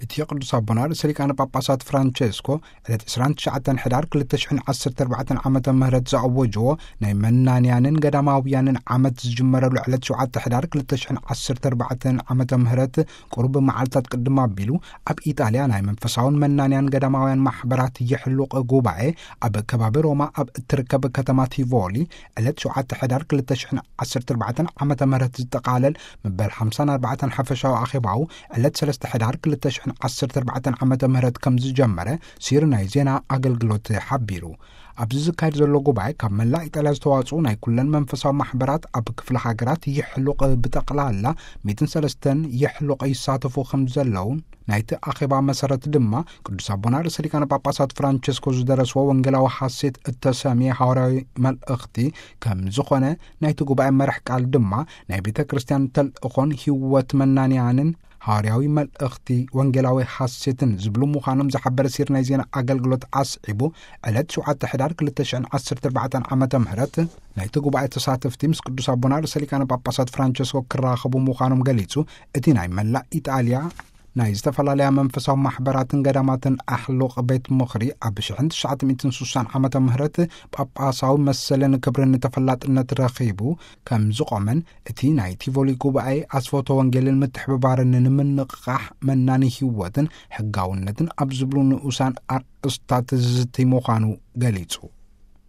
እቲ ቅዱስ ኣቦና ርእሰ ሊቃነ ጳጳሳት ፍራንቸስኮ ዕለት ዕስራን ትሽዓተን ሕዳር ክልተ ሽሕን ዓሰርተ ኣርባዕተን ዓመተ ምህረት ዝኣወጅዎ ናይ መናንያንን ገዳማውያንን ዓመት ዝጅመረሉ ዕለት ሸውዓተ ሕዳር ክልተ ሽሕን ዓሰርተ ኣርባዕተን ዓመተ ምህረት ቁሩብ መዓልታት ቅድም ኣቢሉ፣ ኣብ ኢጣልያ ናይ መንፈሳውን መናንያን ገዳማውያን ማሕበራት የሕሉቕ ጉባኤ ኣብ ከባቢ ሮማ ኣብ እትርከብ ከተማ ቲቮሊ ዕለት ሸውዓተ ሕዳር ክልተ ሽሕን ዓሰርተ ኣርባዕተን ዓመተ ምህረት ዝጠቓለል መበል ሓምሳን ኣርባዕተን ሓፈሻዊ ኣኼባኡ ዕለት ሰለስተ ሕዳር ክልተ ሽሕን ዓሰርተ ኣርባዕተን ዓመተ ምህረት ከም ዝጀመረ ሲር ናይ ዜና ኣገልግሎት ሓቢሩ። ኣብዚ ዝካየድ ዘሎ ጉባኤ ካብ መላእ ኢጣልያ ዝተዋጽኡ ናይ ኩለን መንፈሳዊ ማሕበራት ኣብ ክፍለ ሃገራት የሕሉቕ ብጠቕላላ ሚእትን ሰለስተን የሕሉቕ ይሳተፉ ከም ዘለውን ናይቲ ኣኼባ መሰረት ድማ ቅዱስ ኣቦና ርእሰ ሊቃነ ጳጳሳት ፍራንቸስኮ ዝደረስዎ ወንጌላዊ ሐሴት እተሰምየ ሃዋርያዊ መልእኽቲ ከም ዝኾነ፣ ናይቲ ጉባኤ መራሕ ቃል ድማ ናይ ቤተ ክርስቲያን ተልእኾን ህይወት መናንያንን ሃዋርያዊ መልእኽቲ ወንጌላዊ ሐሴትን ዝብሉ ምዃኖም ዝሓበረ ሲር ናይ ዜና ኣገልግሎት ኣስዒቡ፣ ዕለት ሸውዓተ ሕዳር ክልተ ሽሕን ዓሰርተ ኣርባዕተን ዓመተ ምህረት ናይቲ ጉባኤ ተሳተፍቲ ምስ ቅዱስ ኣቦና ርእሰ ሊቃነ ጳጳሳት ፍራንቸስኮ ክራኸቡ ምዃኖም ገሊጹ። እቲ ናይ መላእ ኢጣልያ ናይ ዝተፈላለያ መንፈሳዊ ማሕበራትን ገዳማትን ኣሕሉቕ ቤት ምኽሪ ኣብ ሽሕን ትሽዓተ ሚእትን ስሳን ዓመተ ምህረት ጳጳሳዊ መሰልን ክብርን ተፈላጥነት ረኺቡ ከም ዝቖመን፣ እቲ ናይ ቲቮሊ ጉባኤ ኣስፈቶ ወንጌልን ምትሕብባርን ንምንቕቓሕ መናኒ ህይወትን ሕጋውነትን ኣብ ዝብሉ ንኡሳን ኣርእስታት ዝዝቲ ምዃኑ ገሊጹ።